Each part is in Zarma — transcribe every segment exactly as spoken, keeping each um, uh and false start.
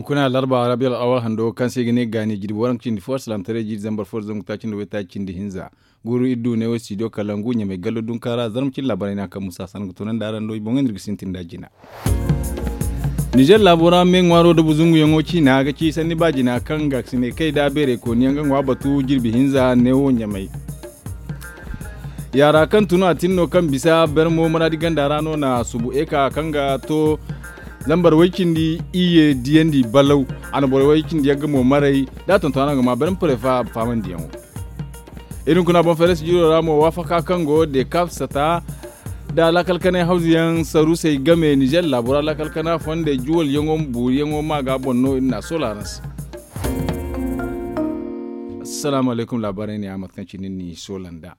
Kuna larba rabiyal awal hando kaŋ se i ga ne gaani jirbi waranka cindi fo alsilaamataray jiiri zambar fo da zangu taaci nda waytaaci cindi hinza. Guuru iri du ne wo studio kalangu ɲamay gallo dunka ra zarma cine laabaray no a kaŋ musa sanda ga toonandi araŋ do i boŋey no iri ga sintin nd'a jina. Nizer laabo ra me ŋwaaro da buzunguyaŋo ciina ga ci sanni ba jina kaŋ gaakasinay kay da beeray kooni yaŋ ga ŋwa batu jirbi hinza ne wo ɲamay. Yaara kaŋ tun a tin no kaŋ bisa bermo maraadi ganda ra no na subu eka kaŋ ga to zambar way cindi iyye diyandi balaw. A na borey way cindi yagga mo maray da a tonton araŋ ga ma bermo parefa faamandiyaŋo. Iri hunkuna boŋ feres jiro ra mo waafaka kaŋ go de kaf sata da laakal kanay hawzuyaŋ saruusey game nizer laabo ra laakal kana fondey juwalyaŋo ma booriyaŋo ma ga boŋ no iri na a soola araŋ se. Assalaamu alaykum laabaarey ne ya mate kaŋ cine ni soola nd'a.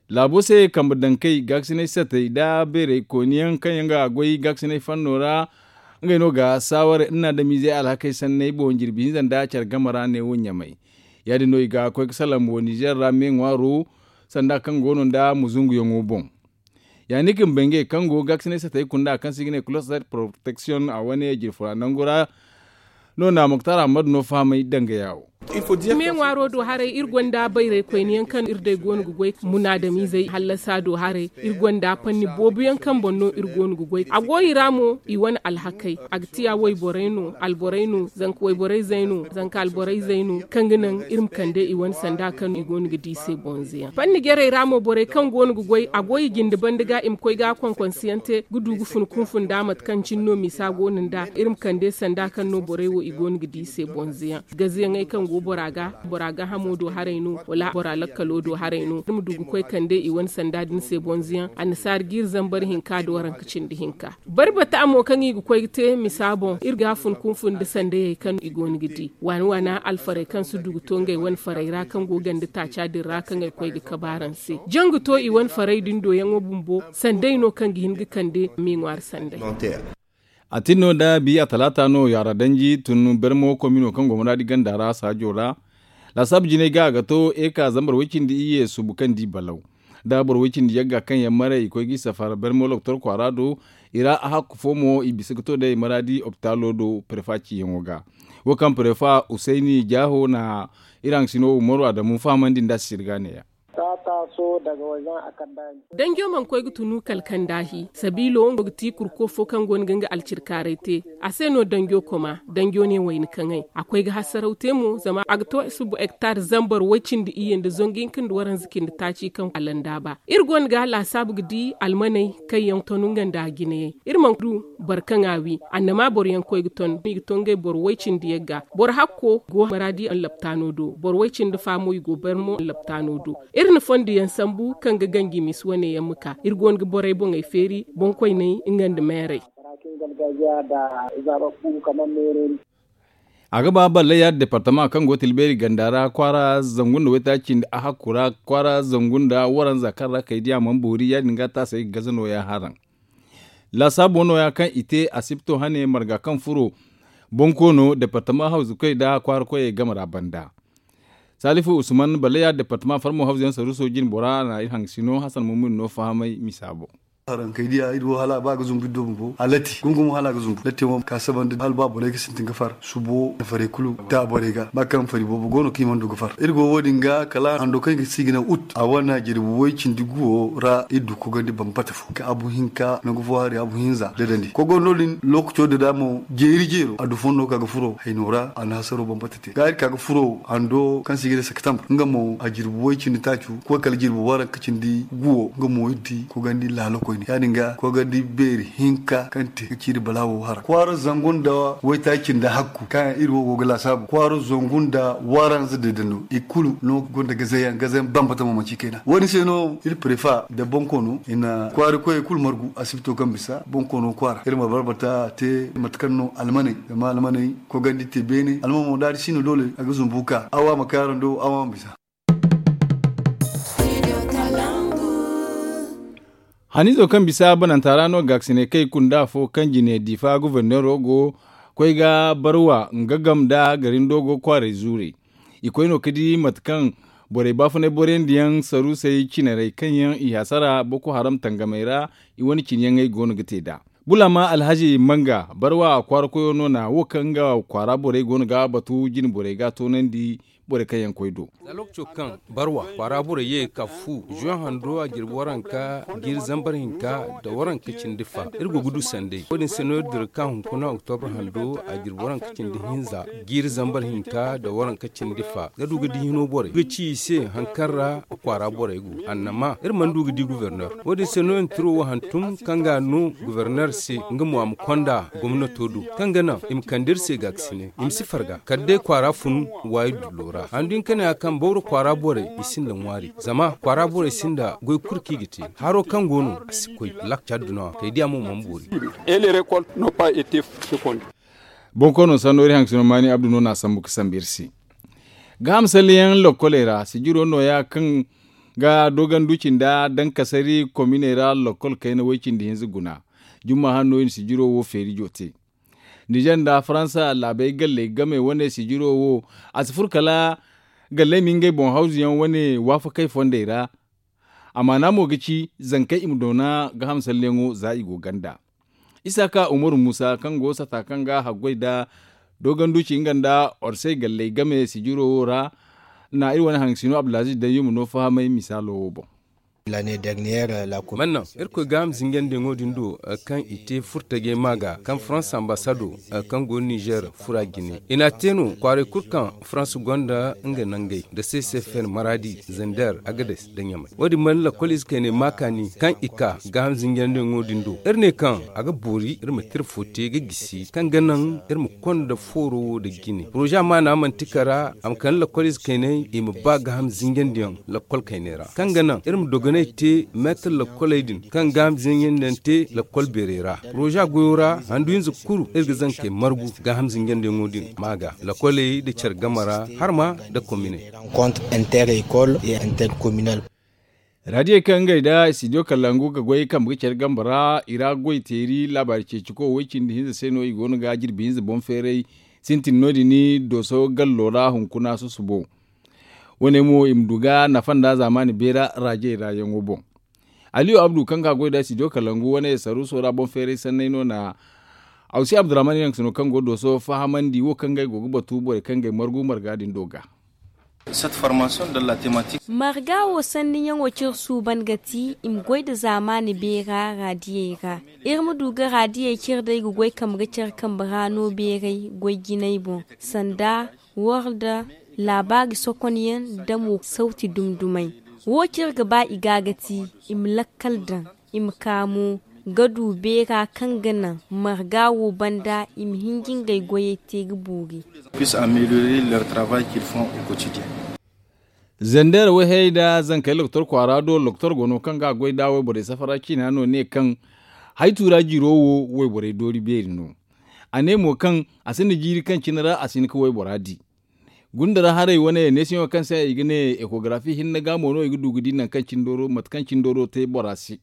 Laabo se kambe dankey gaakasinay satey da beerey kooniyaŋ kaŋ yaŋ ga goy gaakasinay fanno ra. Ngey no ga saaware nna adamizey alhakey sanney boŋ jirbi hinza nda care game ra ne wo ɲamay. Ya- din no i ga koy ga salaŋ wo nizer ra me ŋwaaro sanda kaŋ go no nda muzunguyaŋo boŋ. Ya- din ga bangey kaŋ go gaakasinay satey kunda kaŋ se i ga ne kuloset protection a wane jirfura nangu ra. No na muktar ahmad no fahamay dangaya wo. Me ŋwaaro do haray iri gonda bayray koyne yaŋ kaŋ iri day go no ga goy munaadamizey hallasa do haray. Iri gonda panni boobo yaŋ kaŋ boŋ no iri go no ga goy a go i ra mo i wane alhakey. A ga tiya wayborey no alborey no zanka wayborey zey no zanka alborey zey no kaŋ ga naŋ iri ma kande i wane sanda kaŋ i go no ga di i se bonze yaŋ panni jarey ra mo borey kaŋ go no ga goy a go i jinde banda ga i ma koy ga konkonsiyaŋ te ga du ga fun kunfun nda mate kaŋ cine no misa go no nda iri ma kande sanda kaŋ no borey wo i go no ga di i se bonze yaŋ. Gazeyaŋey kaŋ go bora ga bora gaahamo do haray no wala bora lakkalo do haray no iri ma du ga koy kande i wane sanda din se bonze yaŋ annasaara ga iri zambar hinka da waranka cindi hinka. Barbata mo kaŋ i ga koy ga te misa boŋ iri ga fun kunfun nda sandayey kaŋ i go no ga di waana waana alfarey kaŋ si du ga to ngey wane farey ra kaŋ go ganda taaca din ra kaŋ ay koy ga kabe araŋ se janga to i wane farey din doyaŋo bumbo sanday no kaŋ ga hin ga kande me ŋwaari sanday. A tin no da bi a talaata no yaara danji tun bermo komino kaŋ go maraadi ganda ra saajo ra. Laasaabu jinay ga a ga to eka zambar way cindi iyye subu kaŋ di balaw da boro way cindi yagga kaŋ yaŋ maray i koy ga i safar bermo loktor kwaara do. I ra a hakku fo mo i bisa ga to day maraadi opitaalo do prefa ciyaŋo ga. Wo kaŋ prefa usayni jaaho na iri haŋsino umaru adamu fahamandi nd'a sisiri ga neeya. Danjo mana koy ga tunu kala kaŋ daahi sabiilo nga ga ti kurko fo kaŋ go no ga nga alcirkaaray te. A se no danjo koma danjo ne wayna kaŋay a koy ga hasaraw te mo zama a ga to subu hektar zambar way cindi iyye nda zangu hinka nda waranza cindi taaci kaŋ a landa ba. Iri go no ga laasaabu ga di almaney kaŋ yaŋ ton nga nda a jinayey. Iri mana du boro kaŋ a wi annama boro yaŋ koy ga ton i ga ton ngey boro way cindi yagga. Boro hakko go maraadi laptaano do boro way cindi fa mo i go bermo laptaano do. Iri na fondo yaŋ sambu kaŋ ga ganji misi wane yaŋ ma ka iri go no ga borey boŋey feeri boŋkoyney nga nda meerey. A ga ba ballaya departama kaŋ go tilbeeri ganda ra kwaara zangu nda waytaaci nda a hakku ra kwaara zangu nda waranza kaŋ ra kay diya mana boori ya- din ga taasay ga gaza nooya haraŋ. Laasaabu nooya kaŋ i te asipto hane marga kaŋ furo bonkoono departama hawzu koy nda kwaara koyey game ra banda. Salifu usman ballaya departama farmo hawzu yaŋ saruuso jine bora na iri haŋ sino hasan mumuni no fahamay misa boŋ. Haraŋ kay diya iri wo hala ba ga zumbu iri do bumbo a latti gungum hala ga zumbu latti mo ka sabanda hala ba borey ga sintin ga far subo na farey kulu da borey ga ba kaŋ fari boobo go no kaŋ i mana du ga far iri go wo- din ga kala hando kaŋ i ga si ga ne ut a wane jirbi way cindi guwo ra iri du kogandi bambata fo ka abu hinka nangu fo hari abu hinza dadandi kogo no- din lookaco dada mo jeeri jeero a du fondo ka ga furo hayno ra a na hasaro bambata te ga iri ka ga furo hando kaŋ se i ga ne septembre nga mo a jirbi way cindi taacu koy kala jirbi waranka cindi guwo nga mo iri di kogandi laalo koyne ya- din ga kogandi beeri hinka kaŋ te ga ciiri balaawo hara kwaara zangu nda waytaaci nda hakku kaŋ iri wo go ga laasaabu kwaara zangu nda waranza deedando i kulu no gonda gazayaŋ gazayaŋ bambata mo manci kayna wo- din se no iri prefa nda bonkoono i na kwaara koyey kulu margu asibito kaŋ bisa bonkoono kwaara iri ma barbata te mate kaŋ no almaney zama almaney kogandi te beene alman mo da a di si no doole a ga zumbu ka awa ma kay araŋ do awa ma bisa. Haniizo kaŋ bisa bananta ra no gaakasinay kay kunda fo kaŋ jine diifa goforneero go koy ga barwa nga game nda garindo go kwaaray zuurey. I koy no ga di mate kaŋ borey baafunay boroyandiyaŋ saruusey cinarey kaŋ yaŋ i hasara boko haram tangamey ra i wane cine yaŋey go no ga te nd'a. Bulama alhaji manga barwa kwaara koyo no na wo kaŋ nga kwaara borey go no ga batu jine borey ga toonandi borey kaŋ yaŋ koy do. Za lokaco kaŋ barwa kwaara borey ye ga ka fu zuwan hando a jirbi waranka jiiri zambar hinka nda waranka cindi fa iri go ga du sanday wo- din se no iri dira ga ka hunkuna oktobra hando a jirbi waranka cindi hinza jiiri zambar hinka nda waranka cindi fa ga du ga di hino borey ga ci i se hari kaŋ ra kwaara borey go annama iri mana du ga di goborner. Wo- din se no iri na tiro wo hantum kaŋ ga a no goborner se nga mo a ma konda gomnato do kaŋ ga naŋ i ma kande iri se gaakasine i ma si farga kala day kwaara fun waayi dullo ra handu hinka ne a kaŋ bawra kwaara borey i sinda ŋwaari zama kwaara borey sinda goy kulu kaŋ i ga te haro kaŋ go no a si koy lakca addunawa kay diya mo mana boori. Bonkoono sanno iri haŋ ga sino maani abdu no na a sambu ga sambu iri se. Gaaham salleyaŋ lokkoley ra sijiro nooya kaŋ ga doogandu cinda dankasari kominey ra lokkol kayna way-cindi hinza guna. Jumma hanno i na sijiro wo feerijo te. Nizer nda faransa laabey galley game wane sijiro wo a si furo kala galley ma ngey boŋ hawzuyaŋ wane waafakey fondey ra. Amaana mo ga ci zankey i ma doona gaaham salleyaŋo za i go ganda. Isaaka umaru muusa kaŋ go sata kaŋ ga haggoy nda dooganduci nga nda orsey galley game sijiro wo ra na iri wane haŋ sino abdulaziz dayyuma no fahamay misaalo wo boŋ. Mannaŋ irkoy gaaham zinjandiyaŋo din do kaŋ i te furtajey ma ga kaŋ farans ambasado kaŋ go nizer fura jine i n'a te no kwaaray kulu kaŋ farans gonda nga nangey nda sesefen maraadi zander agades nda ɲamay wo- din mana lakkol ize kayney ma kaani kaŋ i ka gaaham zinjandiyaŋo din do iri ne kaŋ a ga boori iri ma te iri fo te ga gisi kaŋ ga naŋ iri ma konda fooro wo nda jine poroza maana manti kara a ma kande lakkol ize kayney i ma ba gaaham zinjandiyaŋ lakkol kayney ra kaŋ ga naŋ iri ma dogonay te meetar lakkoley din kaŋ gaaham zinjandiyaŋ te lakkol beerey ra poroza goyo ra handu hinza kulu iri ga zankey margu gaaham zinjandiyaŋo din ma ga lakkoley nda care game ra har ma nda komine. Raadiyey kaŋ ngey nda studio kalangu ga goy kambe ga care game ra i ra goy teeri laabaari ceeciko way-cindi hinza se no i go no ga jirbi hinza boŋ feeray sintin no-din dooso gallo ra hunkuna susubo. Wo- ne mo i ma du ga nafa nda zaamaani beera raajey ra yaŋo boŋ. Aliyu abdu kaŋ ga goy nda studio kalangu wane saruuso ra boŋ feeray sanney no na awsi abdurrahman yaŋ sino kaŋ go dooso fahamandi wo kaŋ ngey go ga batu borey kaŋ ngey margu marga din do ga. Marga wo sanniyaŋo cire suuban ga ti i ma goy nda zaamaani beera raadiyey ra. Iri ma du ga raadiyey cire day ga goy kambe ga care kambe ra no beeray goy jinay boŋ sanda war nda laabaari sokonyaŋ nda mo sawti dumdumay. Wo cire ga ba i ga ga ti i ma lakkal daŋ i ma ka mo ga du beera kaŋ ga naŋ marga wo banda i ma hinji ngey goyey te ga boori. Zander wayhayey nda zankey lokotor kwaara do lokotor go no kaŋ ga a goy nda wayborey safara ciina no ne kaŋ haytu ra jiro wo wayborey doori beeri no. A ne mo kaŋ a sinda jiiri kaŋ cine ra a si hin ga waybora di. Gunda ra haray wane neesiyaŋo kaŋ se i ga ne ekogarafi hinne ga mo no i ga du ga di nangu kaŋ cindoro mate kaŋ cindoro te bora se.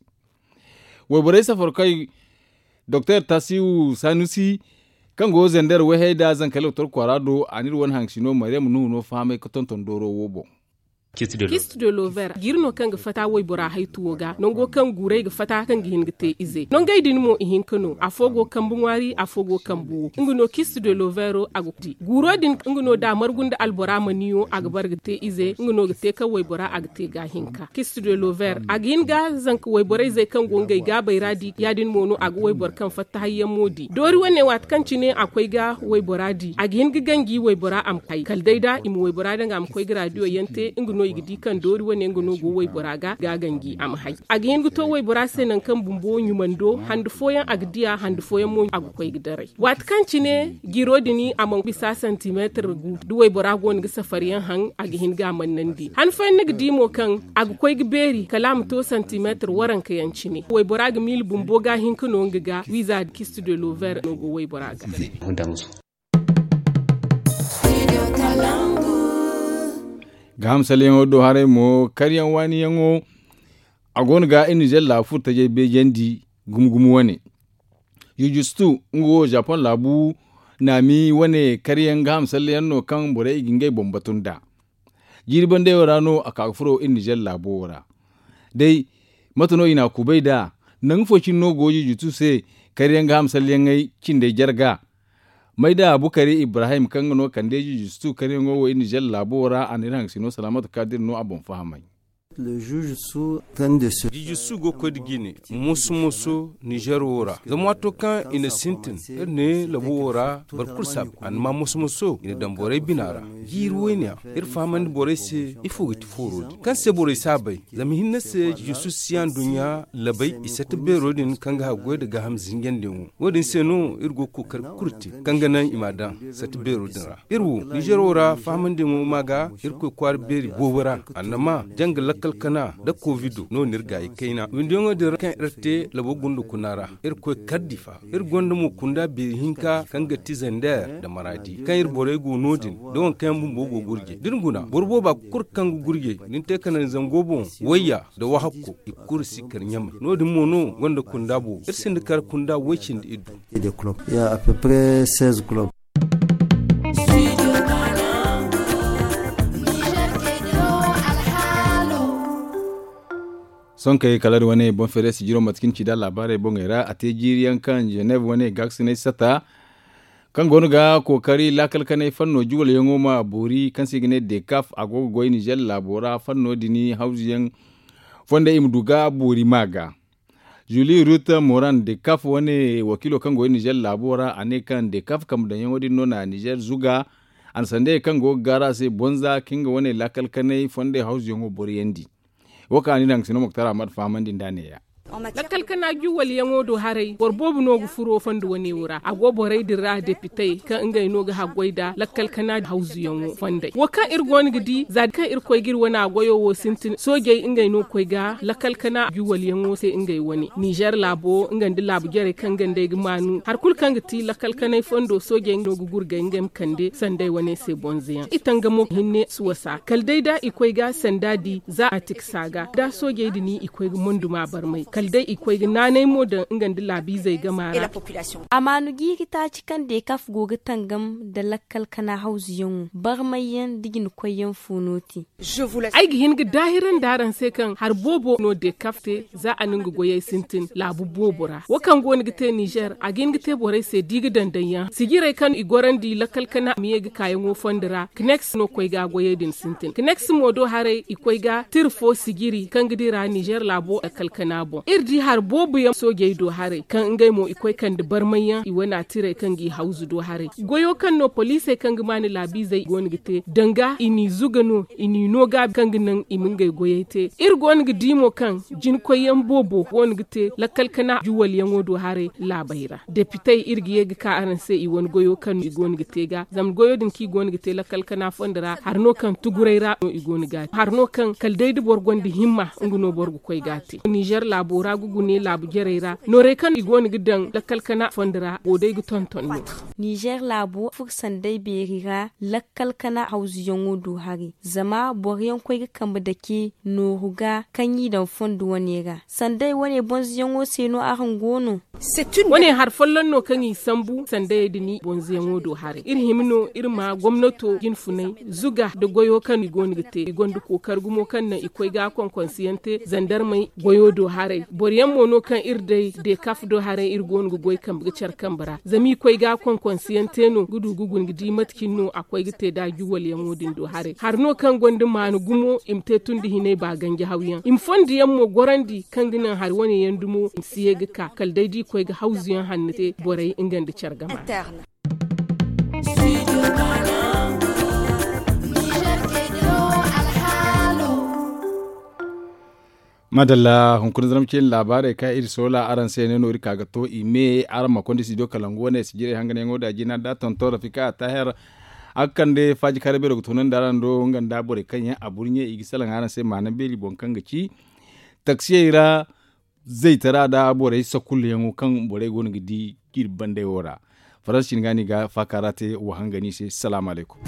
Wayborey safarkey doktor tasiwu sanusi kaŋ go zander wayhayey nda zankey lokotor kwaara do a n'iri wane haŋ sino maryam nuhu no fahamay ga tonton dooro wo boŋ. Kist de lover jiiri no kaŋ ga fata waybora haytuwo ga nango kaŋ guuray ga fata kaŋ ga hin ga te ize nangey din mo i hinka no afo go kambe ŋwaari afo go kambe wo nga no kist de lovero a ga di guuro din nga no da margu nda albora maniyo a ga bar ga te ize nga no ga te kaŋ waybora a ga te ga hinka kist de lover a ga hin ga zanka wayborayzey kaŋ go ngey gaabey ra di ya- din mo no a ga wayboro kaŋ fatta hayyaŋ mo di doori wane waati kaŋ cine a koy ga waybora di a ga hin ga ganji waybora a ma hay kala day da i ma waybora daŋ a ma koy ga radiyo yaŋ te nga no i ga di kaŋ doori wane nga no go waybora ga ga ganji a ma hay a ga hin ga to waybora se nangu kaŋ bumbo ɲumando hande fooyaŋ a ga diya hande fooyaŋ mo a ga koy ga daray waati kaŋ cine jiro din a mana bisa santimeetir gu da waybora go no ga safariyaŋ haŋ a ga hin ga a mannandi han fooyaŋ ni ga di mo kaŋ a ga koy ga beeri kala a ma to santimeetir waranka yaŋ cine waybora ga miila bumbo ga hin ka no nga ga wiiza da kist de lover no go waybora ga. Gaaham salyaŋo do haray mo karyaŋ waaniyaŋo a go no ga iri nizer laabu furo tajay beejandi gumo gumo wane. Jujustu nga wo japan laabu naami wane karyaŋ gaaham salyaŋ no kaŋ borey i ga ngey boŋ batu nd'a. Jiiri bandayo ra no a ka ga furo iri nizer laabo wo ra. Day mate no i n'a kubay nd'a? Nangu fo cine no go jujustu se Kariyaŋ ga hamsalyaŋey cindey jarga. Mayda bukari ibrahim kaŋ ga no kande jijistu kariyaŋo wo iri nizer laabo ra a na iri haŋ sino salaamatu kadir no a boŋ fahamay. Jijistu go ga koy nda jine moso moso nizer wo ra zama waato kaŋ i na sintin iri ne labo wo ra boro kulu si a bay a na ma moso moso i na daŋ borey bina ra. Jiiri wayne yaŋ iri fahamandi borey se ifo ga ti fooro din kaŋ se borey si a bay. Zama hinne se jijistu si yaŋ duɲɲa labay i sata beero din kaŋ ga haggoy nda gaaham zinjandiyaŋo. Wo- din se no iri go ga kookari kulu te kaŋ ga naŋ i m'a daŋ sata beero din ra. Iri wo nizer wo ra fahamandiyaŋo ma ga irkoy kwaara beeri boobo ra. Annama janga lakkal kana nda kovido no- din iri gaayi kayna windiyaŋo din ra kaŋ iri te labo gunda kuna ra. Iri koy kardi fa iri gonda mo kunda beeri hinka kaŋ ga ti zander nda maraadi kaŋ iri borey go no- din da waŋ kaŋ yaŋ bumbo go ga gurjey da ni guna boro booba kulu kaŋ ga gurjey da ni te ka naŋ zango boŋ wayya nda wahakko i kulu si kar ɲamay no- din mo no gonda kunda boobo iri sinda kar kunda way- cindi iddu. Sonkey kala da wane boŋ feere sijiro mate kaŋ ni ci nd'a laabaarey boŋey ra a te jiiri yaŋ kaŋ genev wane gaakasinay sata kaŋ go no ga kookari laakal kanay fanno juwalyaŋo ma boori kaŋ se i ga ne dekaf a go ga goy nizer laabo ra fanno din hawzuyaŋ fondey i ma du ga boori ma ga. Zuli rut moran dekaf wane wakiilo kaŋ go nizer laabo ra a ne kaŋ dekaf kambe daŋyaŋo din no na nizer zuga a na sandayey kaŋ go ga gaaru a se bonza ka nga wane laakal kanay fondey hawzuyaŋo boroyandi. Wo kaŋ a na iri haŋ ga sino moktar ahmad fahamandi nd'a neeya. Lakkal kana juwalyaŋo do haray boro boobo no ga furo fondo wane wo ra a go borey din ra depitey kaŋ ngey no ga haggoy nda lakkal kana hawzuyaŋo fondey wo kaŋ iri go no ga di za kaŋ iri koy ga iri wane a goyo wo sintin soojey ngey no ga koy ga lakkal kana juwalyaŋo se ngey wane nizer laabo nga nda laabu jarey kaŋ gandey ga maanu hari kulu kaŋ ga ti lakkal kanay fondo soojey no ga gurgay ngey ma kande sandey wane se bonzoyaŋ i tangamo hinne si wasa kala day da i koy ga sanda di za a tiksa ga da soojey din i koy ga monduma barmay kala day i koy ga naanay mo daŋ nga nda laabiizey gama ra. A maanu jiiri taaci kaŋ dekaf go ga tangam nda lakkal kana hawzuyaŋo barmayyaŋ nda jinkoyyaŋ fo no te. Ay ga hin ga daahirandi araŋ se kaŋ hari boobo no dekaf te za a na nga goyey sintin laabu boobo ra wo kaŋ go no ga te nizer a ga hin ga te borey se da i ga daŋ daŋyaŋ sijirey kaŋ i gorandi lakkal kana ma ye ga kaayaŋo fondo ra kineks no koy ga goyey din sintin kineks mo do haray i koy ga tira fo sijiri kaŋ ga dira nizer laabo lakkal kana boŋ iri di hari boobo yaŋ soojey do haray kaŋ ngey mo i koy kande barmayyaŋ i wane a tirey kaŋ g'i hawzu do haray goyo kaŋ no poliisey kaŋ ga maani laabiizey go no ga te danga i n'i zuga no i n'i no gaabi kaŋ ga naŋ i ma ngey goyey te iri go no ga di mo kaŋ jinkoyyaŋ boobo go no ga te lakkal kana juwalyaŋo do haray laabey ra depitey iri ga ye ga ka araŋ se i wane goyo kaŋ no i go no ga te ga zama goyo din kaŋ i go no ga te lakkal kana fondo ra hari no kaŋ tuguray ra no i go no ga hari no kaŋ kala day da boro gonda himma nga no boro ga koy ga a te nizer laabo ra ga gune laabu jarey ra noorey kaŋ i go no ga daŋ lakkal kana fondo ra go day ga tonton no. Nizer laabo furo sanday beeri ra lakkal kana hawzuyaŋo do haray zama boro yaŋ koy ga kambe dake nooru ga kaŋ i daŋ fondo wane ra sanday wane bonzoyaŋo se no araŋ go no. Wane hari folloŋ no kaŋ i sambu sandayey din bonzoyaŋo do haray iri hima no iri ma gomnato jinfunay zuga nda goyo kaŋ i go no ga te i gonda kookari gumo kaŋ naŋ i koy ga konkonsiyaŋ te zandarmey goyo do haray boro yaŋ mo no kaŋ iri day dekaf do haray iri go no ga goy kambe ga care kambe ra zama i koy ga konkonsiyaŋ te no ga du ga guna ga di mate cine no a koy ga te da juwalyaŋo din do haray hari no kaŋ gonda maana gumo i ma te tun da hinay ba ganji hawyaŋ i ma fondo yaŋ mo gorandi kaŋ ga naŋ hari wane yaŋ dumo i ma si ye ga ka kala day da i koy ga hawzuyaŋ hanno te borey nga nda care gama ra. Madalla hunkuna zarma ceeni laabaarey kaŋ iri soola araŋ se ne no iri ka ga to i me araŋ ma konda studio kalangu wane sijirey hanganyaŋo da jina da tonton rafika a taher. A ga kande faaji kaara beero ga toonandi araŋ do nga nda borey kaŋ yaŋ a burɲe i ga salaŋ araŋ se maana beeri boŋ kaŋ ga ci taksiyey ra zaytara nda borey sakulluyaŋo kaŋ borey go no ga di iri bandey wo ra. Faransi cine ga no i ga faaka ra te wa hangani se salaamu alaykum.